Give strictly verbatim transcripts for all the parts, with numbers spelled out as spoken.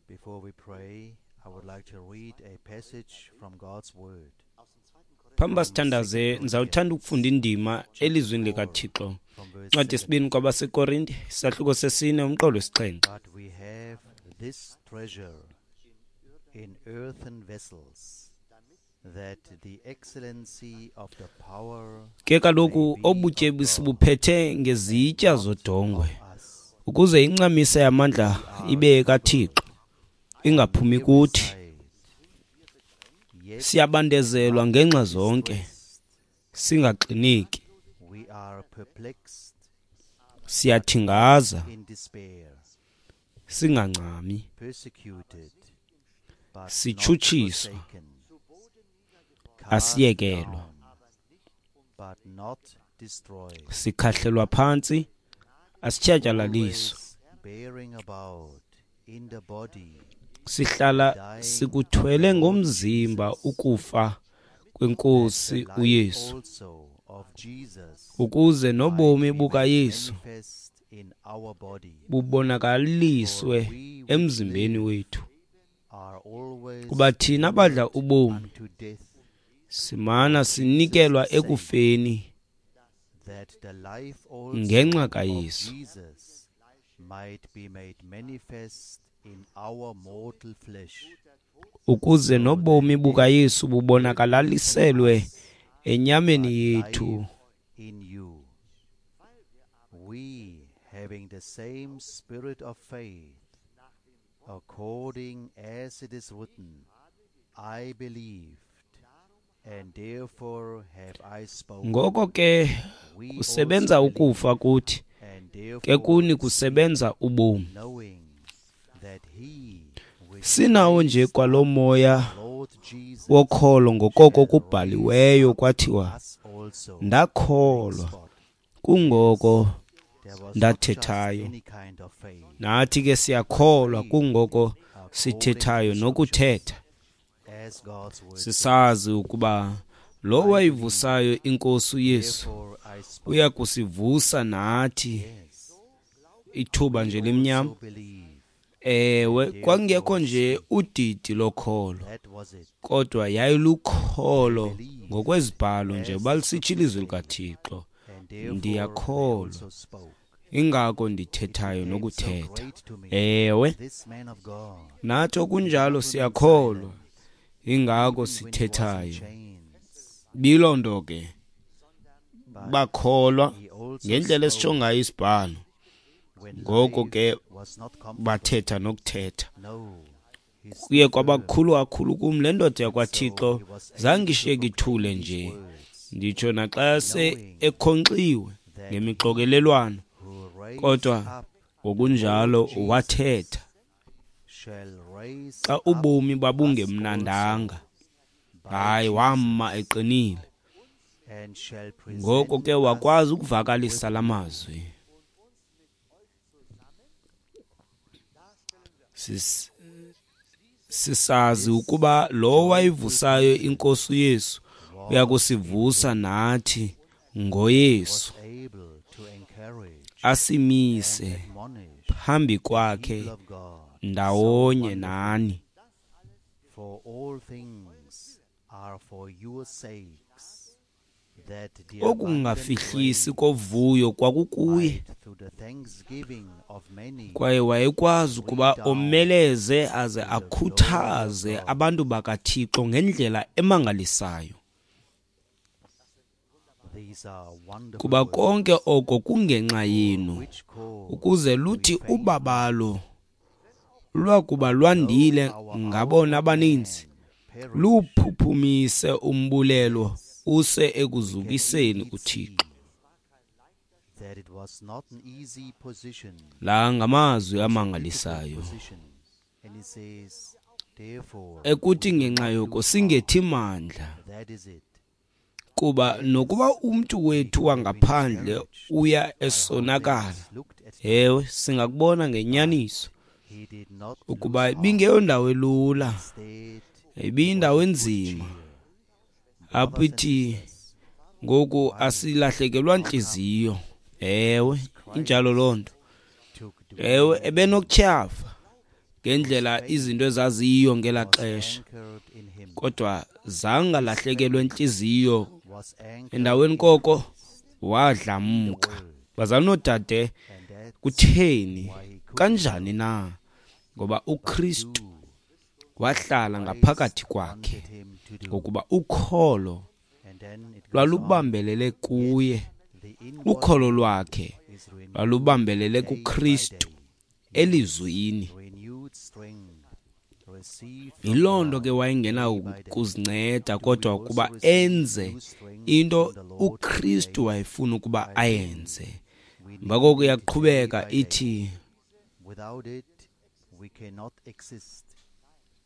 Before we pray, I would like to read a passage from God's Word. Phambi sithandaze ndizawuthanda ukufunda indima elizwini likaThixo. From verse Incwadi yesibini kwabaseKorinte, isahluko sesine umqolo wesixhenxe. But we have this treasure in earthen vessels, that the excellency of the power Ke kaloku obutyebi sibuphethe ngezitya zodongwe, of us ukuze incamisa yamandla ibe kaThixo, ingaphumi kuthi. side. Yet Siyabandezelwa ngenxa zonke, singaxineki, we are perplexed siyathingaza, in despair, singancami, persecuted, but not Sitshutshiswa, forsaken, cast asiyekelwa, down, but not destroyed, sikhahlelwa phantsi, asitshatyalaliswa, always bearing about in the body sihlala sikuthwele ngomzimba ukufa kwenkosi the life uYesu, also of Jesus ukuze nobomi might be made bukaYesu manifest in our body. bubonakaliswe emzimbeni wethu. Are always Kuba thina badla ubomi unto death, simana sinikelwa ekufeni that the life also ngenxa of kaYesu. Jesus might be made manifest in our mortal flesh. Ukuze nobomi bukaYesu bubonakalaliselwe enyameni yethu. Life in you. We, having the same spirit of faith, according as it is written, I believed, and therefore have I spoken. Ngoko ke We kusebenza also ukufa kuthi, believe, and ke therefore kuni kusebenza ubomi. knowing that he which Sinawo nje kwalo moya Lord Jesus wokholo ngokoko kubhaliweyo kwathiwa, us also. ndakholwa, Spot. kungoko There was not just ndathethayo. any kind of faith. Nathi ke siyakholwa, kungoko sithethayo nokuthetha, As God's word says, sisazi ukuba lo wayivusayo inkosi uYesu therefore I spoke. uya kusivusa nathi Yes, ithuba nje limnyama. so believe. Ewe, kwakungekho nje udidi lokholo, That was it. kodwa yayilukholo ngokwezibhalo nje balisitsho ilizwi likaThixo. And therefore I Ndiyakholwa, also spoke. ingako ndithethayo So nokuthetha. great to me, Ewe, this man of God, nathi okunjalo siyakholwa, ingako when he was in sithethayo. chains, Biloo nto ke but bakholwa he also ngendlela spoke esitsho ngayo isibhalo, when ngoko life ke was not comfortable. bathetha nokuthetha. No, he Kuye stood firm. kwabakhulu kakhulu kum le ndoda So yakwaThixo he was able zange to ishiyeke ithule proclaim nje, these words, nditsho naxa se ekhonkxiwe ngemixokelelwano, who raised kodwa up ngokunjalo Jesus wathetha shall raise xa up ubomi us babungemnandanga. also by Hayi, Jesus wama eqinile. and shall Ngoko present ke us wakwazi ukuvakalisa la mazwi. Sis- Sisazi ukuba lo wayivusayo inkosi uYesu uyakusivusa nathi ngoYesu, was able to encourage asimise and admonish phambi kwakhe people of God ndawonye nani. for all things are for your sakes, that the abundant Okungafihlisi grace kovuyo kwakukuye, might through the thanksgiving of many kwaye wayekwazi ukuba omeleze aze akhuthaze abantu bakaThixo ngendlela emangalisayo. These are wonderful Kuba words, konke oko kungenxa yenu, which cause ukuze luthi ubabalo lwakuba lwandile ngabona abaninzi, perish luphuphumise umbulelo use ekuzukiseni uThixo. that it was not an easy position, La ngamazwi amangalisayo position. And he says, therefore, ekuthi ngenxa yoko singethi mandla, that is it. kuba nokuba umntu wethu wangaphandle uya esonakala, Looked at him, ewe, singakubona ngenyaniso he did not ukuba lose heart. ibingeyondawo elula, Instead, ibiyindawo enzima apho ithi ngoku asilahlekelwa ntliziyo. Ewe, injalo loo nto. took the Ewe, ebenokutyhafa ngendlela izinto ezaziyiyo ngelaa was xesha, anchored in him. kodwa zangalahlekelwe ntliziyo. Was anchored Endaweni in koko Christ, wadlamka. the word. Bazalwane noodade, And that's kutheni why he couldn't kanjani na? Ngoba but uKristu do wahlala Christ ngaphakathi kwakhe, wanted him to do. ngokuba ukholo And then it goes on. lwalubambelele kuye. The inward Ukholo lwakhe is renewed lwalubambelele day by kuKristu day. elizwini. Renewed strength received from Yiloo nto God ke wayengena day by day. kuzinceda, Do we kodwa also ukuba receive enze new strength into from the Lord uKristu today? wayefuna ukuba I think ayenze. we Emva need koko it day iyaqhubeka by day. ithi Without it, we cannot exist.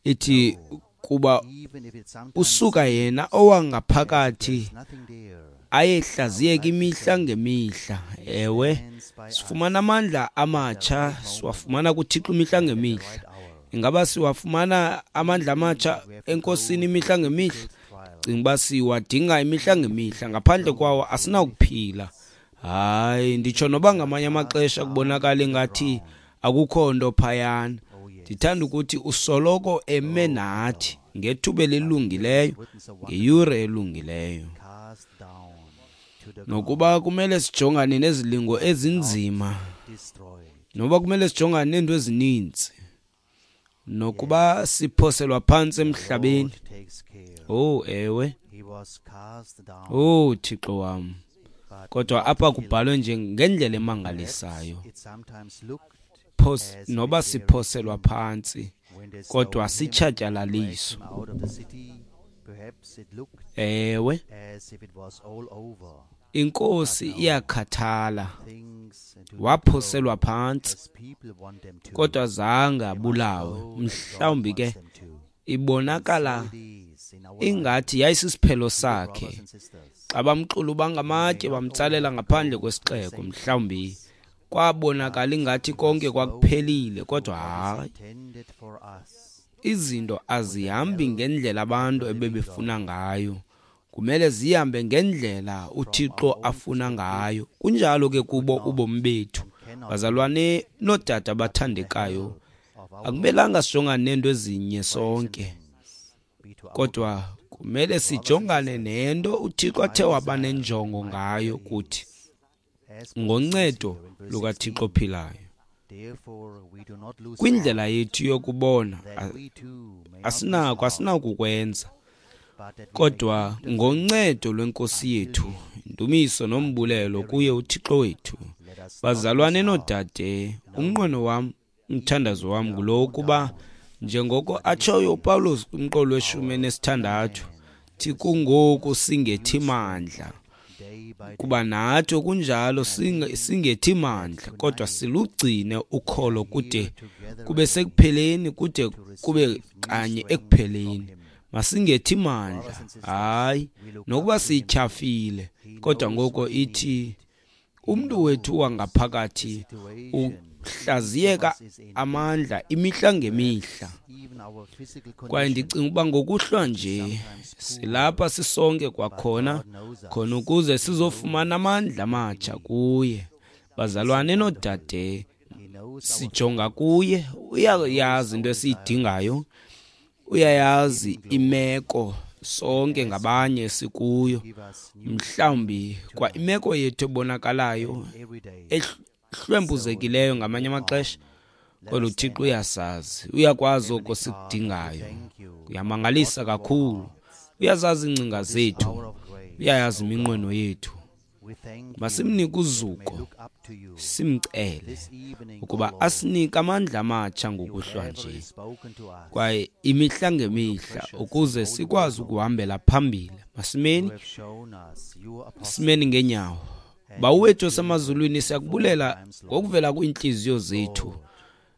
ithi No, kuba even if it sometimes usuka yena seems as if owangaphakathi there's nothing there, ayehlaziyeka I would like to imihla say ngemihla. he Ewe, stands by us sifumana amandla at the amatsha, right moment siwafumana kuThixo imihla and at the ngemihla. right hour. Ingaba siwafumana amandla Even amatsha if we have to go eNkosini through imihla ngemihla? difficult trials, Cinga uba siwadinga imihla ngemihla, ngaphandle go kwawo through many asinawukuphila. things. Hayi, nditsho noba Even ngamanye are cast amaxesha down kubonakala to the ingathi ground. akukho nto phayana. Oh yes. Ndithanda ukuthi usoloko eme Oh nathi God. ngethuba But here it's elilungileyo, written so wonderfully. ngeyure elungileyo. Cast down to the Nokuba ground, kumele sijongane nezilingo not ezinzima, destroyed. noba kumele sijongane neento ezininzi, nokuba Yes, siphoselwa phantsi the emhlabeni. Lord takes care. Oh ewe, He was cast down, oh Thixo wam. but Kodwa not apha killed. kubhalwe nje ngendlela Perhaps emangalisayo. it sometimes looked Phos as if noba it were siphoselwa end phantsi, when they kodwa stoned him and dragged sitshatyalaliswa. him out of the city. Perhaps it looked Ewe, as if it was all over. inkosi But no, iyakhathala. things do not Waphoselwa go phantsi, as people want them to. kodwa zange They must abulawe. go as God Mhlawumbi wants ke them to. And ibonakala so it is in our ingathi lives, yayisisiphelo dear sakhe. brothers and sisters. Xa bamxuluba We may ngamatye not all bamtsalela have to ngaphandle go through the kwesixeko, same mhlawumbi things, kwabonakala but ingathi we konke must go kwakuphelile, through kodwa what is hayi, intended for us izinto with the azihambi help ngendlela of abantu the living ebebefuna God. ngayo. Kumele zihambe ngendlela From uThixo our own afuna perspective, ngayo. Kunjalo ke we could kubo not ubomi bethu, and cannot do, bazalwane noodade but with the abathandekayo. help of our Lord, Akumelanga sijongane neento ezinye praise and sonke, thanks be to our kodwa God. kumele Brothers and sijongane sisters, nento uThixo my athe waba desire, nenjongo my ngayo prayer kuthi is, as Paul says ngoncedo here in verse lukaThixo sixteen, ophilayo. therefore we do not lose Kwindlela heart, yethu yokubona that a- we too may not lose asinako heart, asinakukwenza, but that we may kodwa keep the faith ngoncedo lwenkosi until yethu, the end, indumiso until the nombulelo very kuye end. uThixo wethu. Let us not lose Bazalwane heart. noodade, No, umnqweno wam, even umthandazo if we wam are ngulo worn wokuba down, njengoko but in the atshoyo end, uPawulos kumqolo weshumi our inner enesithandathu, man thi receives kungoku new singethi strength mandla, day by kuba day. nathi okunjalo And I singe- think singethi that mandla, kodwa tonight silugcine we are ukholo kude here together kube again sekupheleni, kude to kube receive new kanye strength from ekupheleni. Him. Masingethi Brothers mandla, and sisters, hayi, we look nokuba up to Him. sityhafile, He kodwa knows ngoko what we ithi need. He umntu wethu knows the wangaphakathi situation each of uhlaziyeka us is in. amandla imihla ngemihla. Perhaps even our physical Kwaye condition ndicinga ukuba ngokuhlwa is nje sometimes poor, silapha sisonke but kwakhona God knows khona us. ukuze He sizofumana knows amandla what we amatsha need. kuye. It's so Bazalwane wonderful. noodade, He knows our sijonga thoughts. kuye, He knows uyayazi our into desires. esiyidingayo, We must give uyayazi Him glory imeko and sonke ask Him ngabanye to sikuyo. give us new Mhlawumbi strength kwa tonight imeko yethu ebonakalayo and every day. ehlwempuzekileyo ngamanye amaxesha, On. Let kodwa us uThixo stand up. uyasazi, uyakwazi oko Heavenly Father, we sikudingayo. thank you from the Uyamangalisa bottom of our kakhulu, hearts uyazazi iingcinga for this zethu, hour of grace, uyayazi O iminqweno God. yethu. We thank you Masimnike that we may uzuko, look up to you simcele this evening, O ukuba Lord. asinike amandla amatsha You ngokuhlwa have nje, already spoken to us kwaye imihla through your ngemihla, precious and ukuze holy sikwazi word, Lord. ukuhambela phambili. You Masimeni, have shown us your apostle simeni ngeenyawo. and Bawo your wethu children osemazulwini, in former siyakubulela times, Lord. ngokuvela kwiintliziyo zethu Lord,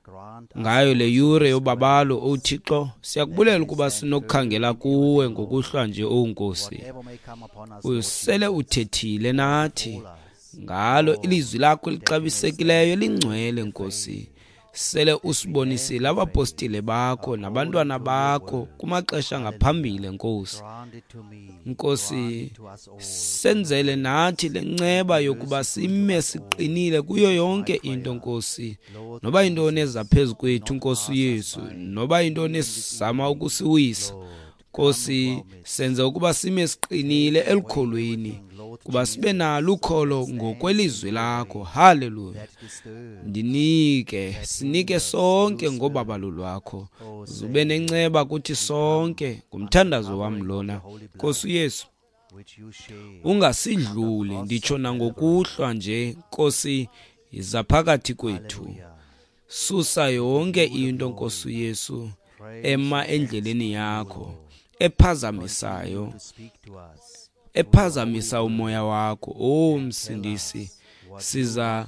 grant us ngayo le also yure this yobabalo, grace oThixo. that we Siyakubulela may ukuba stand firm sinokukhangela in kuwe everything, Lord. ngokuhlwa nje, owu Nkosi. Whatever may come upon us, Lord Usele Jesus, uthethile nathi befall us, ngalo Lord, ilizwi lakho that we may stand elixabisekileyo firm in elingcwele, the Nkosi. faith. Sele usibonisile abapostile bakho nabantwana bakho kumaxesha ngaphambili, Nkosi. Nkosi, senzele nathi le nceba yokuba sime siqinile kuyo yonke into, Nkosi. Noba yintoni eza phezu kwethu, Nkosi Yesu, noba yintoni esizama ukusiwisa, Nkosi, senze ukuba sime siqinile elukholweni, kuba sibe nalo ukholo ngokwelizwi lakho. Haleluya. Ndinike, sinike sonke ngobabalo lwakho. Zube nenceba kuthi sonke, ngumthandazo wam lona. Nkosi Yesu, ungasidluli, nditsho nangokuhlwa nje, Nkosi, yiza phakathi kwethu. Susa yonke into, Nkosi Yesu, ema endleleni yakho, ephazamisayo, ephazamisa umoya wakho. O Msindisi, siza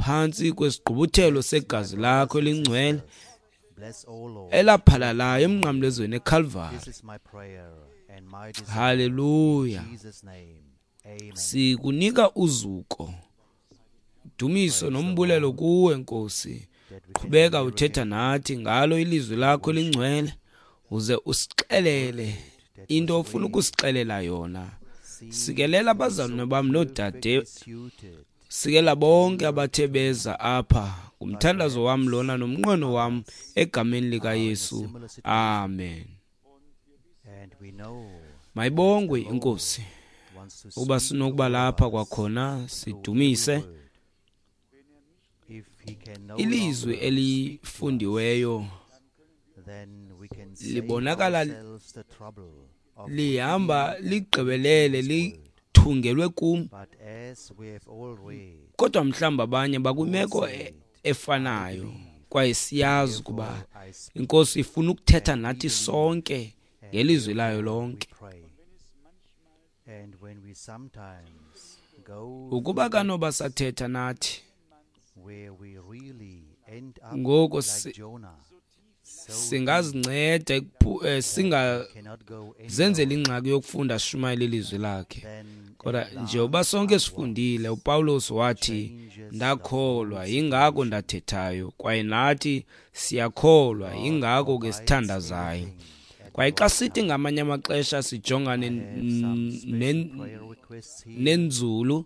phantsi kwesigqubuthelo segazi lakho elingcwele elaphalalayo emnqamlezweni eKalvari. Haleluya. Sikunika uzuko, dumiso nombulelo kuwe, Nkosi. Qhubeka uthetha nathi ngalo ilizwi lakho elingcwele, uze usixelele into ofuna ukusixelela yona. Sikelela abazalwane bam noodade, sikela bonke abathe beza apha. Ngumthandazo wam lona nomnqweno wam egameni likaYesu. Amen. Mayibongwe iNkosi uba sinokuba lapha kwakhona sidumise ilizwi elifundiweyo. Libonakala lihamba ligqibelele lithungelwe kum, kodwa mhlawumbi abanye bakwimeko efanayo, kwaye siyazi ukuba iNkosi ifuna ukuthetha nathi sonke ngelizwi layo lonke. Ukuba kanoba sathetha nathi ngoko singazinceda, singazenzela ingxaki yokufunda sishumayele ilizwi lakhe. Kodwa njengoba sonke sifundile, uPawulos wathi, ndakholwa yingako ndathethayo, kwaye nathi siyakholwa yingako ke sithandazayo. Kwaye xa sithi ngamanye amaxesha sijongane nenzulu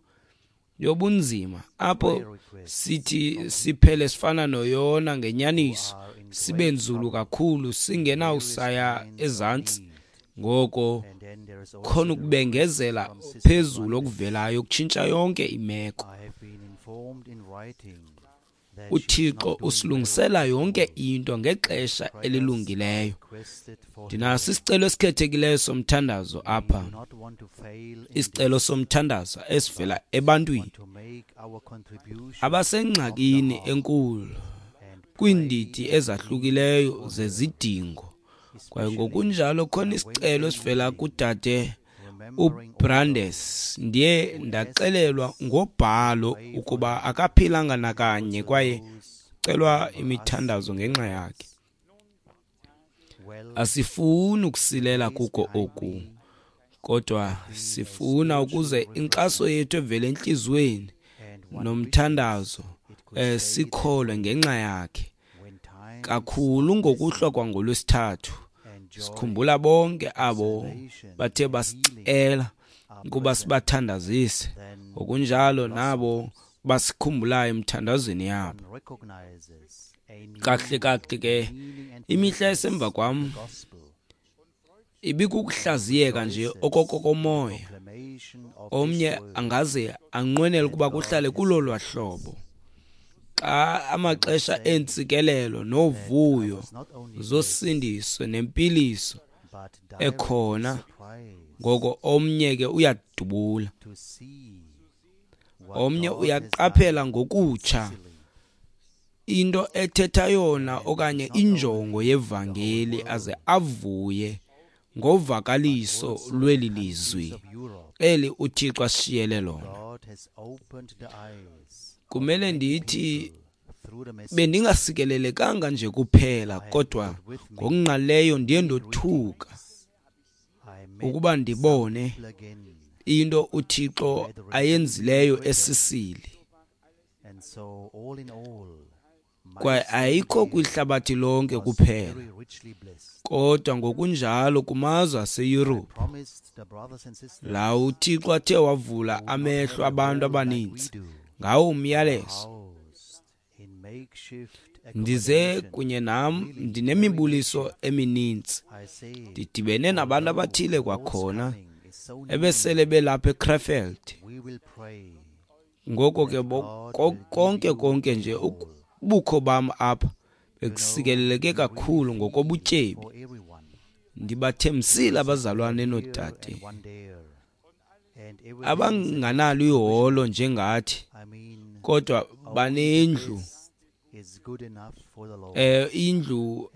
yobunzima, apho sithi siphele sifana noYona ngenyaniso, sibe nzulu kakhulu singenawusaya ezantsi, ngoko khona ukubengezela phezulu okuvelayo kutshintsha yonke imeko. UThixo usilungisela yonke into ngexesha elilungileyo. Ndinaso isicelo esikhethekileyo somthandazo apha, isicelo somthandazo esivela ebantwini abasengxakini enkulu kwiindidi ezahlukileyo zezidingo. Kwaye ngokunjalo khona isicelo esivela kudade uBrandes. Ndiye ndaxelelwa ngobhalo ukuba akaphilanga nakanye, kwaye celwa imithandazo ngenxa yakhe. Asifuni ukusilela kuko oku, kodwa sifuna ukuze inkxaso yethu evele entliziyweni nomthandazo eh, sikholwe ngenxa yakhe. Kakhulu ngokuhlwa kwangolwesithathu sikhumbula bonke abo bathe basicela ukuba sibathandazise, ngokunjalo nabo basikhumbulayo emthandazweni yabo. Kahle kahle ke imihla esemva kwam ibikukuhlaziyeka nje okokomoya. Omnye angaze anqwenele ukuba kuhlale kulolwa hlobo. Xa amaxesha eentsikelelo novuyo zosindiso nempiliso ekhona, ngoko omnye ke uyadubula, omnye uyaqaphela ngokutsha into ethetha yona okanye injongo yevangeli, aze avuye ngovakaliso lweli lizwi eli uThixo asishiyele lona. Kumele ndithi bendingasikelelekanga nje kuphela, kodwa ngokungqaleyo ndiye ndothuka ukuba ndibone into uThixo ayenzileyo eSisili. Kwaye ayikho kwihlabathi lonke kuphela, kodwa ngokunjalo kumazwe aseYurophu, la uThixo athe wavula amehlo abantu abaninzi ngawo umyalezo. Ndize kunye nam ndinemibuliso emininzi. Ndidibene nabantu abathile kwakhona ebesele belapha eKrefeld. Ngoko ke konke konke nje ubukho bam apha bekusikeleleke kakhulu ngokobutyebi. Ndibathembisile abazalwane noodade abanganalo iholo njengathi, kodwa banendlu eh indlu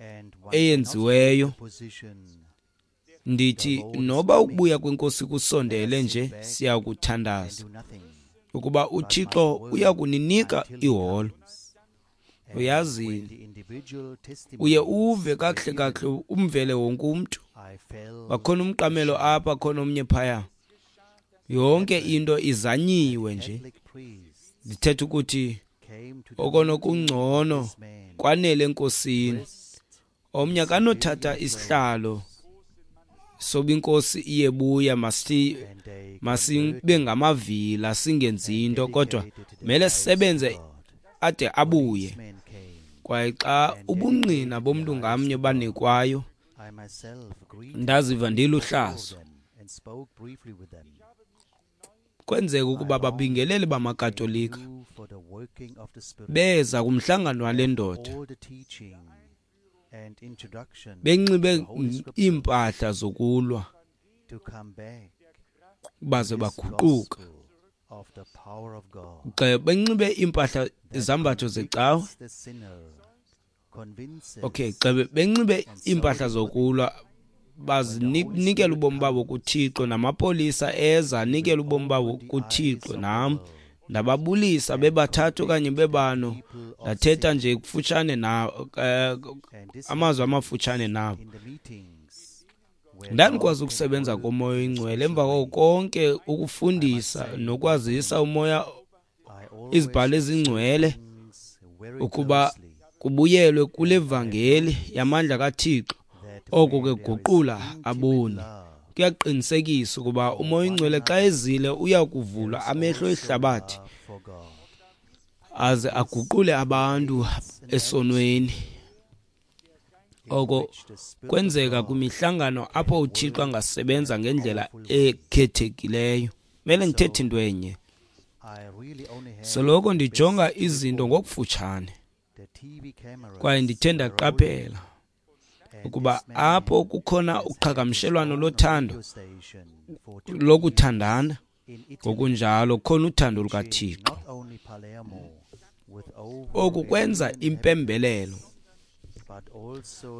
eyenziweyo. Ndithi noba ukubuya kwenkosi kusondele nje, siyakuthandaza ukuba uThixo uyakuninika iholo. Uyazi, uye uve kakuhle kakuhle umvele wonke umntu. Bakhona umqamelo apha, khona omnye phaya. Yonke into izanyiwe nje. Ndithetha ukuthi okonokungcono kwanele enkosini. Omnye akanothatha isihlalo soba inkosi iyebuya, masi masibe ngamavila singenzi into, kodwa mele sisebenze ade abuye. Kwaye xa ubungqina bomntu ngamnye banikwayo, ndaziva ndiluhlazo. Kwenzeka ukuba babingeleli bamaKatolika beza kumhlangano wale ndoda benxibe iimpahla zokulwa, baze baguquka. Xa benxibe iimpahla izambatho zecawe, okay, xa benxibe iimpahla zokulwa bazinikela ubomi babo kuThixo, namapolisa eza anikela ubomi babo kuThixo. Nam ndababulisa bebathathu okanye bebano, ndathetha nje kufutshane nabo, amazwi amafutshane nabo. Ndandikwazi ukusebenza koMoya oyiNgcwele emva koko konke ukufundisa nokwazisa umoya izibhalo ezingcwele ukuba kubuyelwe kule vangeli yamandla kaThixo. Oko ke guqula aboni. Kuyaqinisekisa ukuba uMoya oyiNgcwele xa ezile uyakuvula amehlo ehlabathi aze aguqule abantu esonweni. Oko kwenzeka kwimihlangano apho uThixo angasebenza ngendlela ekhethekileyo. Mele ndithethe into enye. Soloko ndijonga izinto ngokufutshane, kwaye ndithe ndaqaphela ukuba apho kukhona uqhagamshelwano lothando lokuthandana, ngokunjalo khona uthando lukaThixo. Oku kwenza impembelelo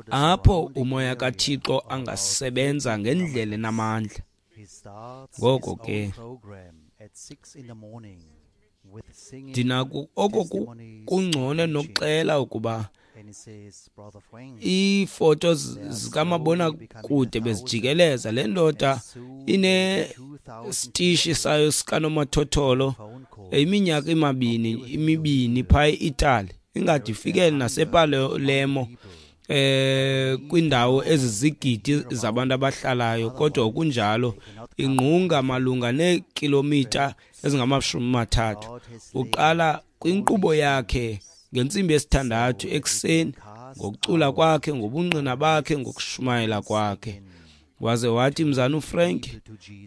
apho umoya kaThixo angasebenza ngendlela enamandla. Ngoko ke ndinako oko kungcono nokuxela ukuba iifoto zikamabonakude bezijikeleza. Le ndoda inesitishi sayo sikanomathotholo iminyaka emibini imibini phaya e-Italy, ingade ifikele nasePalermo eh kwindawo ezizigidi zabantu abahlalayo, kodwa kunjalo ingqunga malunga neekilomitha ezingamashumi amathathu. Uqala kwinkqubo yakhe ngentsimbi yesithandathu ekuseni ngokucula kwakhe, ngobungqina bakhe, ngokushumayela kwakhe. Waze wathi, mzana uFrank,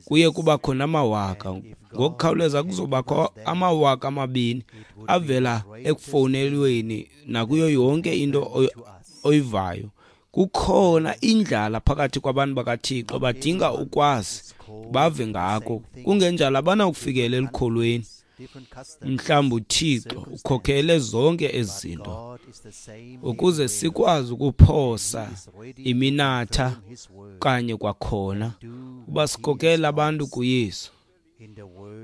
kuye kuba khona amawaka. Ngokukhawuleza kuzobakho amawaka amabini avela ekufowunelweni nakuyo yonke into oyivayo. Kukhona indlala phakathi kwabantu bakaThixo, badinga ukwazi bave ngako, kungenjalo abanakufikelela elukholweni. Mhlawumbi uThixo ukhokhele zonke ezi zinto ukuze sikwazi ukuphosa iminatha kanye kwakhona uba sikhokhela abantu kuYesu.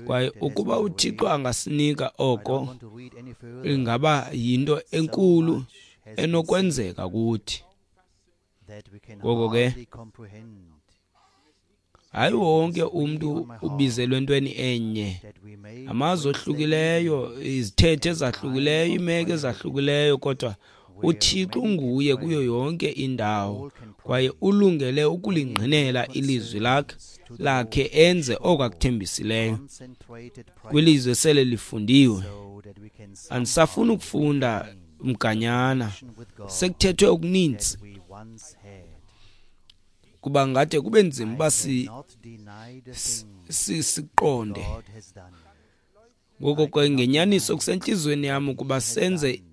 Kwaye ukuba uThixo angasinika oko, ingaba yinto enkulu enokwenzeka kuthi. Ngoko ke Hayi wonke umntu ubizelwe entweni enye, amazwe ohlukileyo, izithethe ezahlukileyo, iimeko ezahlukileyo, kodwa uThixo unguye kuyo yonke indawo kwaye ulungele ukulingqinela ilizwi lakhe lakhe enze oko akuthembisileyo kwilizwe sele lifundiwe. Andisafuni ukufunda mganyana, sekuthethwe okuninzi kuba ngade kube nzima uba siqonde. Ngoko ke ngenyaniso kusentliziyweni yam ukuba senze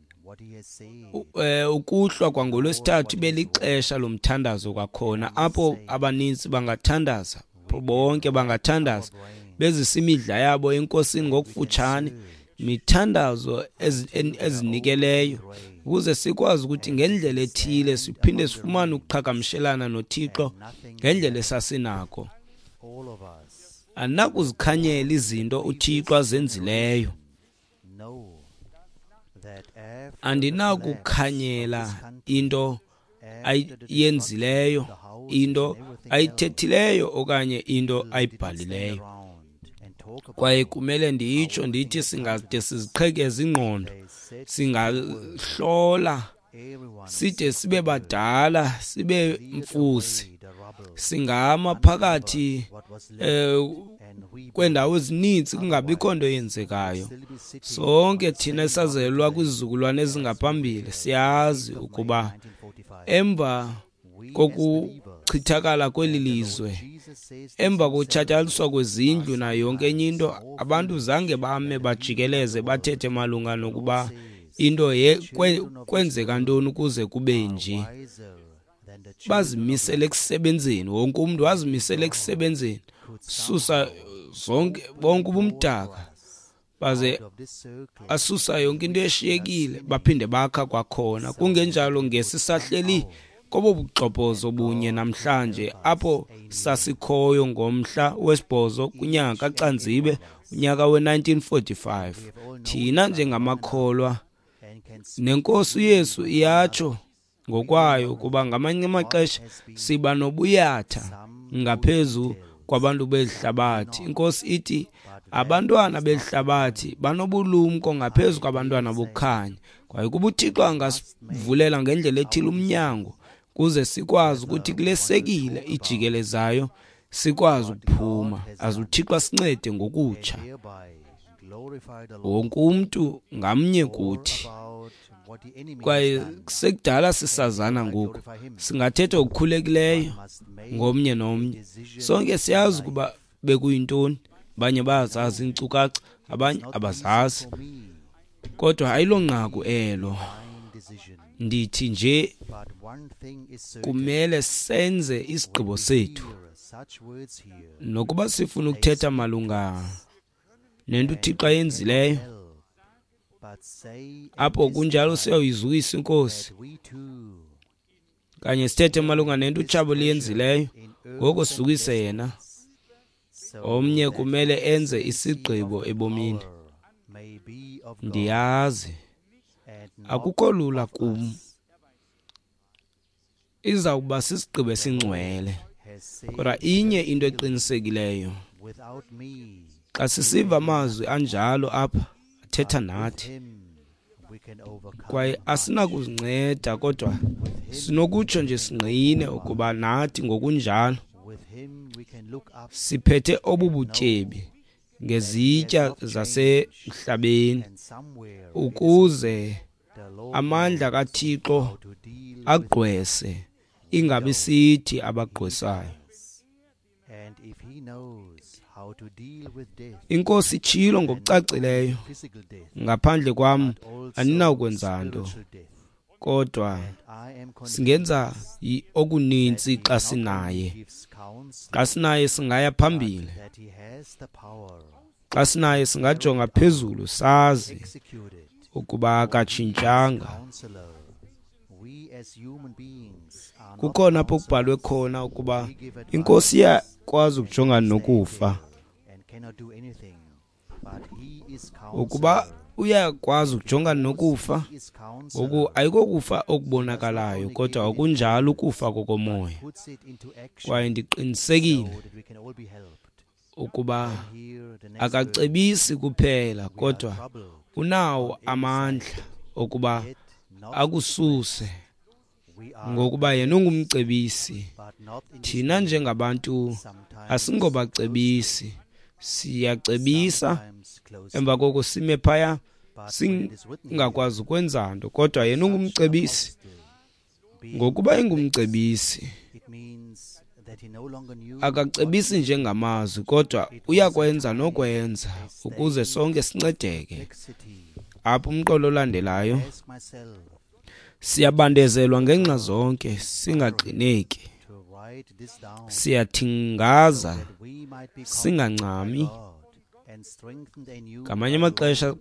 ukuhlwa kwangolwesithathu ibe lixesha lomthandazo kwakhona, apho abaninzi bangathandaza, bonke bangathandaza bezisa imidla yabo eNkosini ngokufutshane, mithandazo ezinikeleyo, ukuze sikwazi ukuthi ngendlela ethile siphinde sifumane ukuqhagamshelana noThixo ngendlela esasinako. Andinakuzikhanyela izinto uThixo azenzileyo. Andinakukhanyela into ayenzileyo, into ayithethileyo okanye into ayibhalileyo. Kwaye kumele nditsho ndithi singade siziqhekeze ingqondo, singahlola side sibe badala, sibe mfusi, singama phakathi eh kwendawo ezininzi kungabikho nto yenzekayo. Sonke thina esazelwa kwizizukulwane ezingaphambili siyazi ukuba emva kokuchithakala kweli lizwe, emva kokutshatyalaliswa kwezindlu nayo yonke enye into, abantu zange bame bajikeleze bathethe malunga nokuba into kwenzeka ntoni ukuze kube nje. Bazimisele ekusebenzeni, wonke umntu wazimisele ekusebenzeni, susa zonke bonke ubumdaka, baze asusa yonke into eshiyekile, baphinde bakha kwakhona. Kungenjalo ngesisahleli kobo buxhobozo bunye namhlanje apho sasikhoyo ngomhla wesibhozo kunyaka kaCanzibe unyaka we nineteen forty-five. Thina njengamakholwa neNkosi uYesu iyatsho ngokwayo ukuba ngamanye amaxesha siba nobuyatha ngaphezu kwabantu belihlabathi. INkosi ithi abantwana belihlabathi banobulumko ngaphezu kwabantwana bokukhanya. Kwaye kuba uThixo angasivulela ngendlela ethile umnyango kuze sikwazi ukuthi kule sekile ijikelezayo sikwazi ukuphuma. Aze uThixo asincede ngokutsha wonke umntu ngamnye kuthi. Kwaye sekudala sisazana ngoku, singathetha okukhulekileyo ngomnye nomnye. Sonke siyazi ukuba bekuyintoni, abanye bayazazi iinkcukacha, abanye abazazi, kodwa ayilonqaku elo. Ndithi nje kumele senze isigqibo sethu, nokuba sifuna ukuthetha malunga nento uThixo ayenzileyo. Apho kunjalo siyayizukisa iNkosi, kanye sithethe malunga nento utshabo liyenzileyo, ngoko sizukise yena. Omnye kumele enze isigqibo ebomini. Ndiyazi akukho lula kum, izawuba sisigqibo esingcwele, kodwa inye into eqinisekileyo, xa sisiva amazwi anjalo apha athetha nathi, kwaye asinakuzinceda, kodwa sinokutsho nje singqine ukuba nathi ngokunjalo siphethe obu butyebi ngezitya zasemhlabeni, ukuze amandla kaThixo agqwese, ingabi sithi abagqwesayo. INkosi itshilo ngokucacileyo, ngaphandle kwam aninakwenza nto, kodwa singenza okuninzi xa sinaye. Xa sinaye singaya phambili, xa sinaye singajonga phezulu sazi ukuba akatshintshanga. Kukhona apho kubhalwe khona ukuba iNkosi iyakwazi ukujongana nokufa. Ukuba Uyakwazi ukujongana nokufa. Ngoku ayikokufa okubonakalayo, kodwa akunjalo ukufa kokomoya. Kwaye ndiqinisekile ukuba akacebisi kuphela, kodwa unawo amandla okuba akususe, ngokuba yena ungumcebisi. Thina njengabantu asingobacebisi, siyacebisa emva koko sime phaya singakwazi ukwenza nto, kodwa yena ungumcebisi. Ngokuba engumcebisi, akacebisi njengamazwi, kodwa uyakwenza nokwenza ukuze sonke sincedeke. Apha umqolo olandelayo, siyabandezelwa ngenxa zonke, singaxineki, siyathingaza, singancami. Ngamanye amaxesha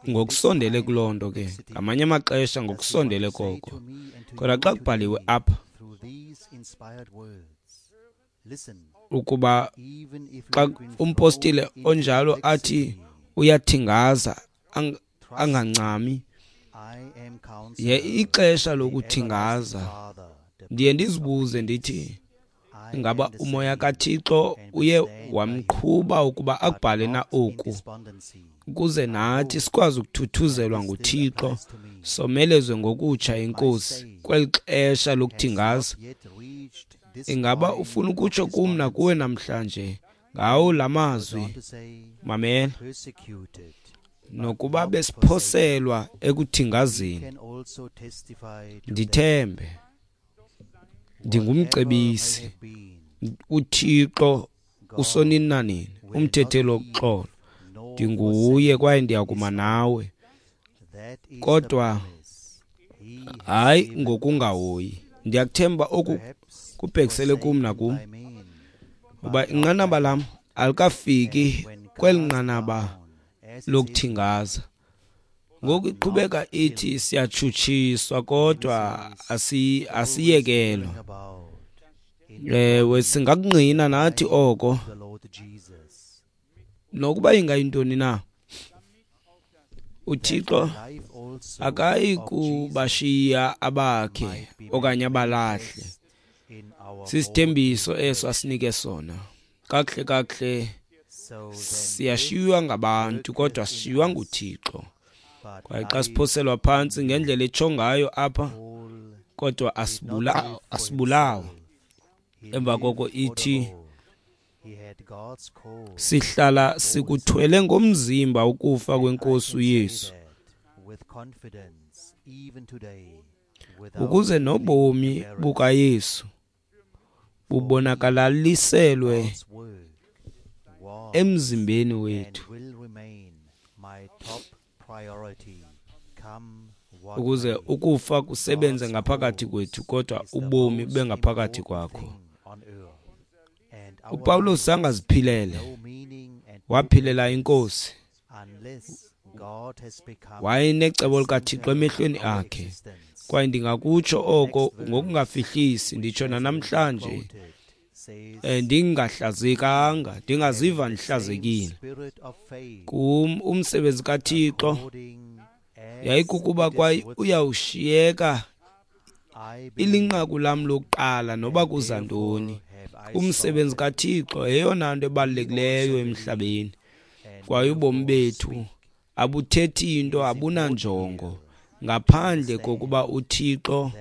ngokusondele kuloo nto ke, ngamanye amaxesha ngokusondele koko. Kodwa xa kubhaliwe apha ukuba xa umpostile onjalo athi uyathingaza angancami, ye ixesha lokuthingaza, ndiye ndizibuze ndithi, ingaba umoya kaThixo uye wamqhuba ukuba akubhale na oku, ukuze nathi sikwazi ukuthuthuzelwa nguThixo, somelezwe ngokutsha inkosi kweli xesha lokuthingaza. Ingaba ufuna ukutsho kum nakuwe namhlanje ngawo la mazwi? Mamela, nokuba besiphoselwa ekuthingazeni, ndithembe ndingumcebisi, uThixo usonini nanini, umthetheli woxolo, ndinguye kwaye ndiyakuma nawe, kodwa hayi ngokungahoyi. Ndiyakuthemba oku kubhekisele kum nakum, uba inqanaba lam alikafiki kweli nqanaba lokuthingaza. Ngoku iqhubeka ithi siyatshutshiswa kodwa asi asiyekelwa. Ewe, singakungqina nathi oko, nokuba ingayintoni na. uThixo akayi kubashiya abakhe okanye abalahle. Sisithembiso eso asinike sona. Kakuhle kakuhle siyashiywa ngabantu, kodwa sishiywa nguThixo. Kwaye xa siphoselwa phantsi ngendlela etsho ngayo apha, kodwa asibulawa, asibulawa. Emva koko ithi sihlala sikuthwele ngomzimba ukufa kwenkosi uYesu, ukuze nobomi bukaYesu bubonakalaliselwe emzimbeni wethu, ukuze ukufa kusebenze ngaphakathi kwethu, kodwa ubomi bube ngaphakathi kwakho. uPawulos angaziphilele, waphilela inkosi. Wayenecebo likaThixo emehlweni akhe, kwaye ndingakutsho oko ngokungafihlisi, nditsho nanamhlanje, ndingahlazekanga, ndingaziva ndihlazekile. Kum umsebenzi kaThixo yayikukuba kwaye uyawushiyeka ilinqaku lam lokuqala noba kuza ntoni. Umsebenzi kaThixo yeyona nto ebalulekileyo emhlabeni, kwaye ubomi bethu abuthethi into, abunanjongo ngaphandle kokuba uThixo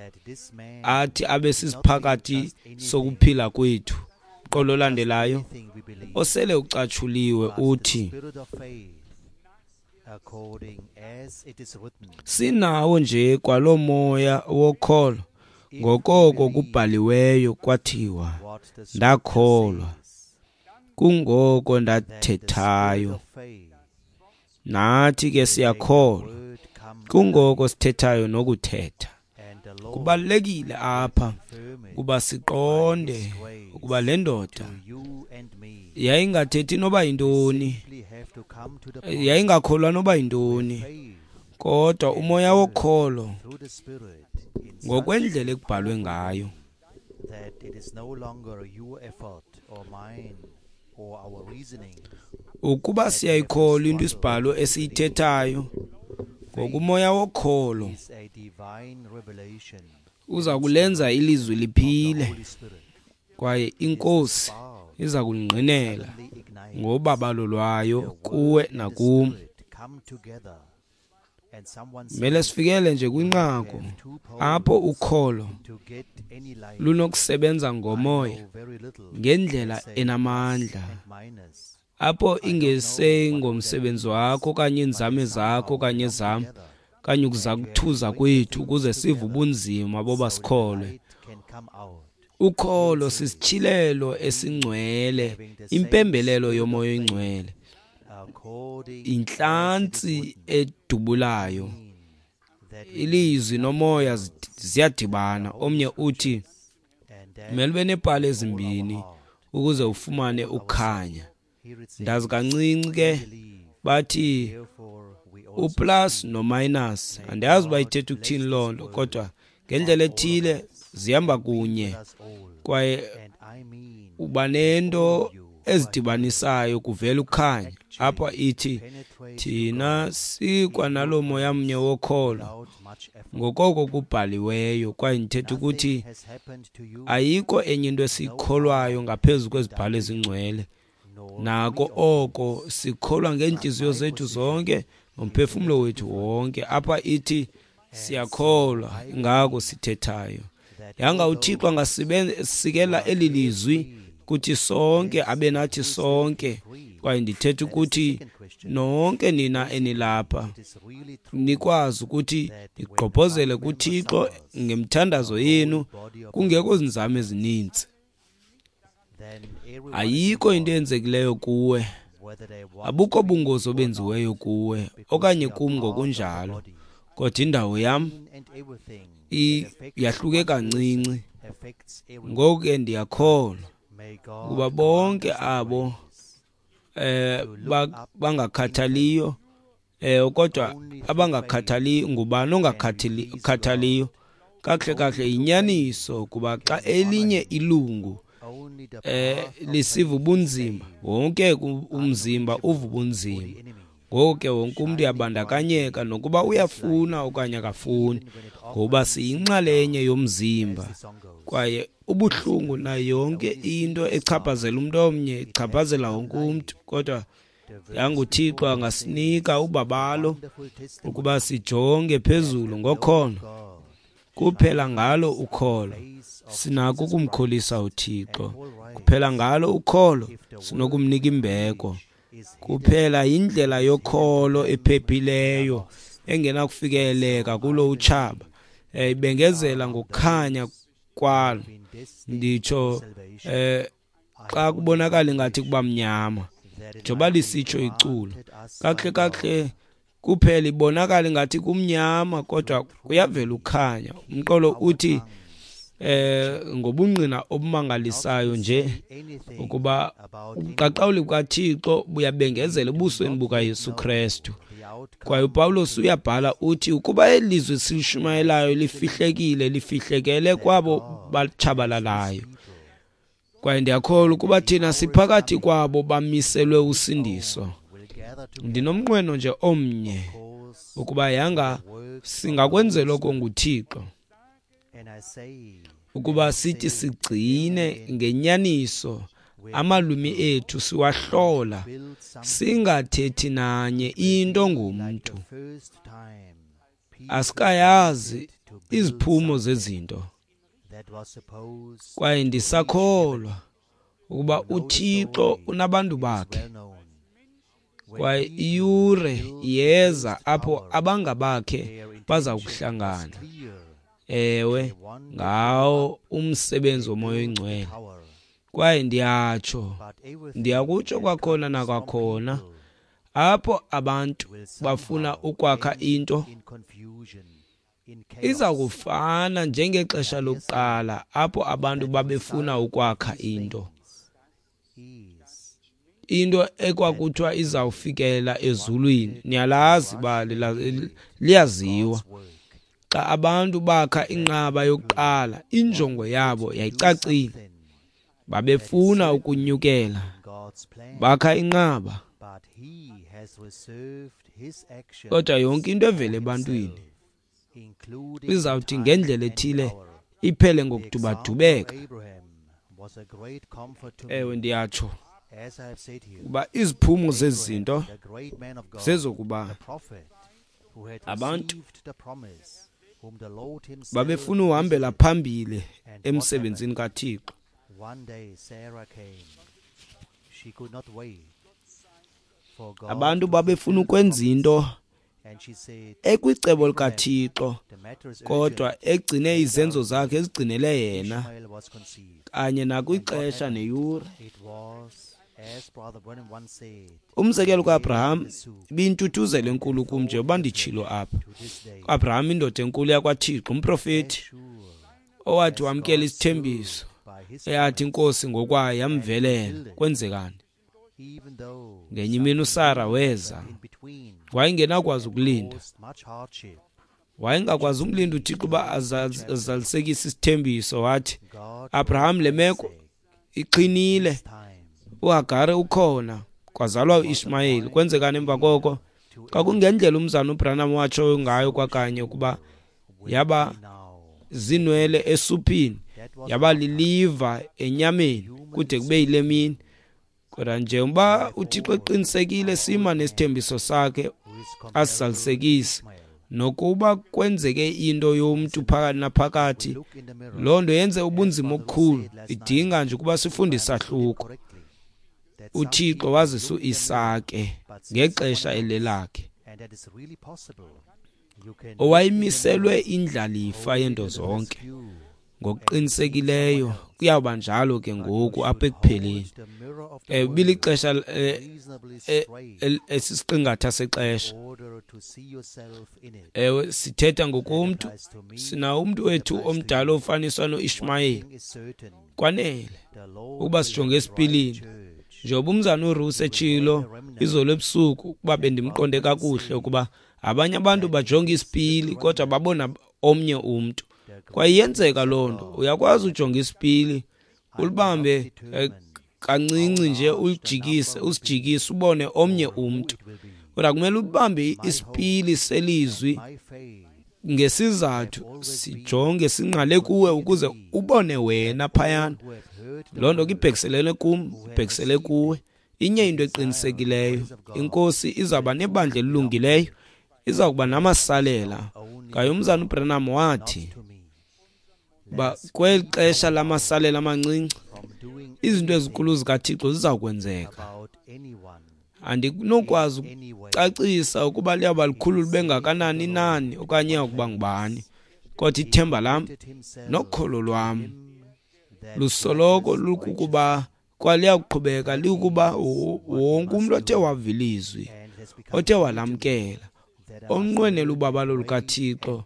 athi abe sisiphakathi sokuphila kwethu. Qolo olandelayo osele ucatshuliwe uthi, sinawo nje kwalo moya wokholo, ngokoko kubhaliweyo kwathiwa, ndakholwa, kungoko ndathethayo. Nathi ke siyakholwa, kungoko sithethayo nokuthetha. Kubalulekile apha kuba siqonde ukuba le ndoda yayingathethi noba yintoni, yayingakholwa noba yintoni, kodwa umoya wokholo ngokwendlela ekubhalwe ngayo. Ukuba siyayikholwa into isibhalo esiyithethayo, Ngokumoya wokholo uza kulenza ilizwi liphile, kwaye iNkosi iza kulingqinela ngobabalo lwayo kuwe nakum. Mele sifikele nje kwinqaku apho ukholo lunokusebenza ngomoya ngendlela enamandla, apho ingesengomsebenzi wakho okanye iinzame zakho okanye ezam okanye ukuzakuthuza kwethu ukuze sive ubunzima boba sikholwe. Ukholo sisityhilelo esingcwele, impembelelo yomoya oyingcwele, intlantsi edubulayo. Ilizwi nomoya ziyadibana. Omnye uthi kumele ube neepali ezimbini ukuze ufumane ukukhanya. Ndazi kancinci ke bathi uplus nominus, andiyazi uba ithetha ukuthini loo nto, kodwa ngendlela ethile zihamba kunye, kwaye uba nento ezidibanisayo kuvela ukukhanya. Apha ithi thina sikwanalo moya mnye wokholo ngokoko kubhaliweyo, kwaye ndithetha ukuthi ayikho enye into esiyikholwayo ngaphezu kwezibhalo ezingcwele. Nako oko sikholwa ngeentliziyo zethu zonke nomphefumlo wethu wonke. Apha ithi siyakholwa, ngako sithethayo. Yanga uThixo angasisikela eli lizwi kuthi sonke, abe nathi sonke. Kwaye ndithetha ukuthi nonke nina enilapha nikwazi ukuthi nigqobhozele kuThixo ngemthandazo yenu kungekho zinzame ezininzi. Ayikho into eyenzekileyo kuwe, abukho bungozi obenziweyo kuwe okanye kum ngokunjalo, kodwa indawo yam yahluke kancinci. Ngoku ke ndiyakholwa ukuba bonke abo eh bangakhathaliyo, eh kodwa abangakhathali ngubani ongakhathaliyo kakuhle kakuhle yinyaniso, kuba xa elinye ilungu eh lisiva ubunzima, wonke umzimba uva ubunzima. Ngoko ke wonke umntu uyabandakanyeka nokuba uyafuna okanye akafuni, ngoba siyinxalenye yomzimba. Kwaye ubuhlungu nayo yonke into echaphazela umntu omnye ichaphazela wonke umntu. Kodwa yanguThixo angasinika ubabalo ukuba sijonge phezulu ngokholo. Kuphela ngalo ukholo sinako ukumkholisa uThixo, kuphela ngalo ukholo sinokumnika imbeko. Kuphela yindlela yokholo ephephileyo engenakufikeleleka kulo utshaba, ibengezela ngokukhanya kwalo. Nditsho eh xa kubonakala ingathi kuba mnyama, njengoba lisitsho iculo kakuhle kakuhle, kuphela ibonakala ingathi kumnyama kodwa kuyavela ukukhanya. Umqolo uthi eh ngobungqina obumangalisayo nje ukuba ubuqaqawuli bukaThixo buyabengezela ebusweni bukaYesu Kristu. Kwaye uPawulos uyabhala uthi ukuba elizwi silishumayelayo lifihlekile, lifihlekele kwabo batshabalalayo. Kwaye ndiyakholwa ukuba thina siphakathi kwabo bamiselwe usindiso. Ndinomnqweno nje omnye ukuba yanga singakwenzela oko nguThixo, ukuba sithi sigcine ngenyaniso amalwimi ethu siwahlola, singathethi nanye into ngumntu. Asikayazi iziphumo zezinto, kwaye ndisakholwa ukuba uThixo unabantu bakhe, kwaye iyure iyeza apho abangabakhe baza kuhlangana. Ewe, ngawo umsebenzi womoya oyingcwele. Kwaye ndiyatsho, ndiyakutsho kwakhona nakwakhona, apho abantu bafuna ukwakha into iza kufana njengexesha lokuqala apho abantu babefuna ukwakha into, into ekwakuthiwa izawufikelela ezulwini. Niyalazi bali, liyaziwa. Xa abantu bakha inqaba yokuqala, injongo yabo yayicacile. Babefuna ukunyukela, bakha inqaba. Kodwa yonke into evela ebantwini izawuthi ngendlela ethile iphele ngokudubadubeka. Ewe, ndiyatsho kuba iziphumo zezinto zezokuba abantu babefuna uhambela phambili emsebenzini kaThixo. Abantu babefuna ukwenza into ekwicebo likaThixo, kodwa egcine izenzo zakhe ezigcinele yena kanye nakwixesha neyure. Umzekelo kaAbraham ibintuthuzelo enkulu kum njengoba nditshilo apha. uAbraham, indoda enkulu yakwaThixo, umprofeti owathi wamkela isithembiso eyathi inkosi ngokwayo yamvelela. Kwenzekani? Ngenye imini uSara weza, wayengenakwazi ukulinda, wayengakwazi umlinda uThixo uba azalisekise isithembiso. Wathi, Abraham, le meko iqinile, uHagare ukhona, kwazalwa uIshmayeli. Kwenzekani emva koko? Kwakungendlela umzana uBranham watsho ngayo kwakanye ukuba yaba zinwele esuphini, yaba liliva enyameni kude kube yile mini. Kodwa njengoba uThixo eqinisekile sima nesithembiso sakhe asizalisekise, nokuba kwenzeke into yomntu phakathi naphakathi, loo nto yenze ubunzima obukhulu, idinga nje ukuba sifunde isahluko. uThixo wazisa uIsake ngexesha elelakhe, owayemiselwe indlalifa yento zonke. Ngokuqinisekileyo kuyawuba njalo ke ngoku apha ekupheleni. Eh bilixesha esisiqingatha sexesha. Ewe, sithetha ngokomntu, sinawo umntu wethu omdala ofaniswa noIshmayeli. Kwanele ukuba sijonge esipilini. Njengoba umzana uRuth etshilo izolo ebusuku, ukuba bendimqonde kakuhle ukuba abanye abantu bajonga isipili kodwa babona omnye umntu. Kwaye iyenzeka loo nto, uyakwazi ujonga isipili ulibambe kancinci nje ulijikise, usijikise ubone omnye umntu. Kodwa kumele ubambe isipili selizwi ngesizathu, sijonge singqale kuwe ukuze ubone wena phayana. Loo nto ke ibhekiselele kum, ibhekisele kuwe. Inye into eqinisekileyo, inkosi izawuba nebandla elilungileyo, iza kuba namasalela. Kwaye umzana uBranham wathi ba kweli xesha lamasalela amancinci, izinto ezinkulu zikaThixo ziza kwenzeka. Andinokwazi ukucacisa ukuba liyawuba likhulu libe ngakanani nani okanye iyakuba ngubani, kodwa ithemba lam nokholo lwam lusoloko lukukuba kwaliyakuqhubeka likukuba wonke umntu othe wava ilizwi, othe walamkela, onqwenela ubabalo lukaThixo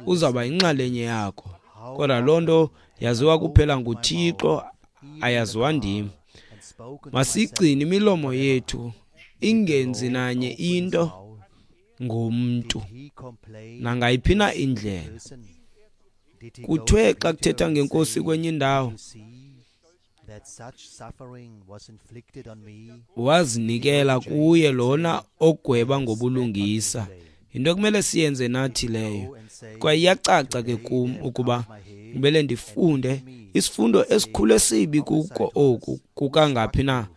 uzawuba yinxalenye yakho. Kodwa loo nto yaziwa kuphela nguThixo, ayaziwa ndim. Masigcine imilomo yethu ingenzi nanye into ngomntu nangayiphi na indlela. Kuthiwe xa kuthetha ngenkosi kwenye indawo, wazinikela kuye lona ogweba ngobulungisa. Yinto ekumele siyenze nathi leyo. Kwaye iyacaca ke kum ukuba kumele ndifunde isifundo esikhulu esibi kuko oku kukangaphi na,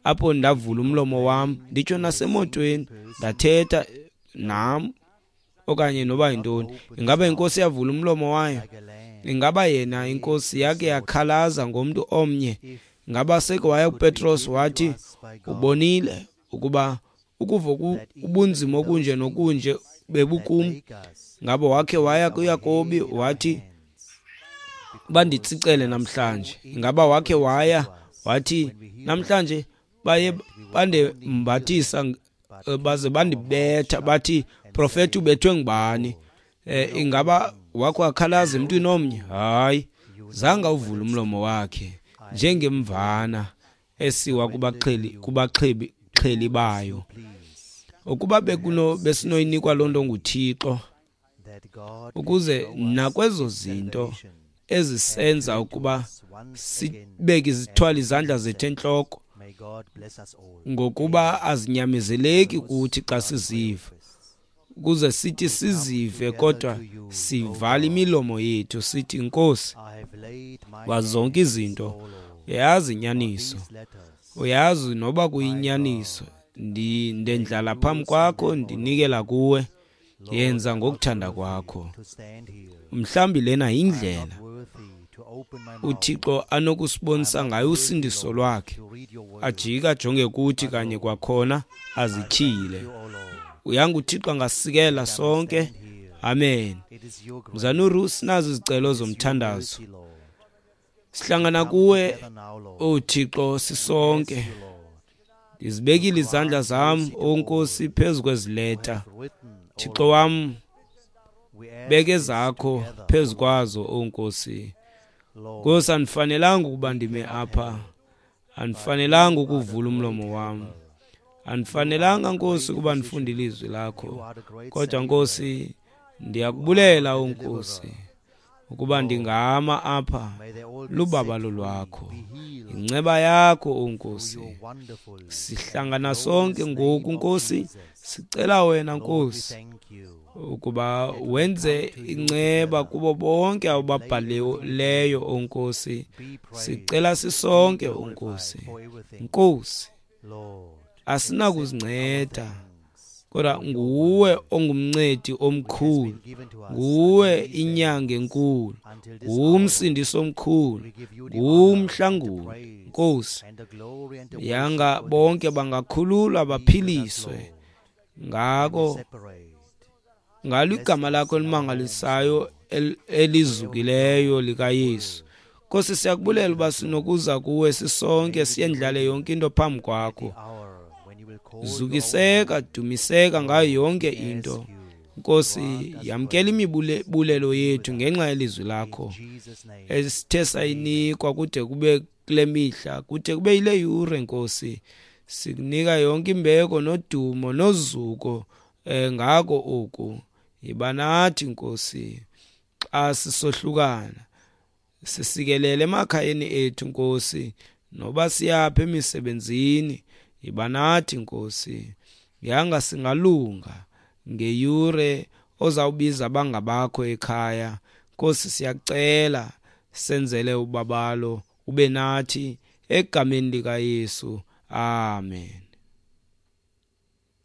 apho ndavula umlomo wam nditsho nasemotweni ndathetha nam okanye noba yintoni. Ingaba inkosi yavula umlomo wayo? Ingaba yena inkosi yake yakhalaza ngomntu omnye? Ingaba seke waya kuPetros wathi, ubonile ukuba ukuva ubunzima okunje nokunje bebukum? Ngaba wakhe waya kuYakobi wathi, banditsicele namhlanje? Ingaba wakhe waya wathi, namhlanje baye bandembathisa baze bandibetha bathi, profeti ubethwe ngubani? Eh, ingaba wakho wakhalaza emntwini omnye? Hayi, zange awuvule umlomo wakhe njengemvana esiwa kubaxheli kubaxhebi xheli bayo. Ukuba bekuno besinoyinikwa loo nto nguThixo, ukuze nakwezo zinto ezisenza ukuba sibeke izithwala izandla zethu entloko, ngokuba azinyamezeleki kuthi xa siziva. Ukuze sithi sizive kodwa sivala imilomo yethu sithi, Nkosi, wazi zonke izinto, uyazi inyaniso, uyazi noba kuyinyaniso. Ndendlala phambi kwakho, ndinikela kuwe, yenza ngokuthanda kwakho. Mhlawumbi lena yindlela uThixo anokusibonisa ngayo usindiso lwakhe, ajike ajonge kuthi kanye kwakhona azityhile. Uyanga uThixo angasikela sonke. Amen. Mzanuru, sinazo izicelo zomthandazo. Sihlangana kuwe, O Thixo, sisonke. Ndizibekile izandla zam, O Nkosi, phezu kwezileta. Thixo wam, beke zakho phezu kwazo, O Nkosi. Nkosi, andifanelanga ukuba ndime apha, andifanelanga ukuvula umlomo wam, andifanelanga, Nkosi, ukuba ndifunde ilizwi lakho. Kodwa Nkosi, ndiyakubulela, O Nkosi, ukuba ndingama apha lubabalo lwakho, inceba yakho, O Nkosi. Sihlangana sonke ngoku, Nkosi, sicela wena, Nkosi, ukuba wenze inceba kubo bonke ababhalileyo, O Nkosi. Sicela sisonke, O Nkosi. Nkosi, asinakuzinceda, kodwa nguwe ongumncedi omkhulu, nguwe inyanga enkulu, ngumsindisi omkhulu, ngumhlanguli. Nkosi, yanga bonke bangakhululwa baphiliswe ngako ngalo igama lakho elimangalisayo elizukileyo likaYesu. Nkosi, siyakubulela uba sinokuza kuwe sisonke, siyendlale yonke into phambi kwakho. Zukiseka, dumiseka ngayo yonke into. Nkosi, yamkela imibulelo yethu ngenxa yelizwi lakho esithe sayinikwa kude kube kule mihla, kude kube yile yure. Nkosi, sikunika yonke imbeko nodumo nozuko eh, ngako oku. Yiba nathi, Nkosi, xa sisohlukana, sisikelele emakhayeni ethu, Nkosi, noba siyapha emisebenzini. Yiba nathi, Nkosi, yanga singalunga ngeyure ozawubiza abangabakho ekhaya. Nkosi, siyacela senzele ubabalo, ube nathi egameni likaYesu. Amen.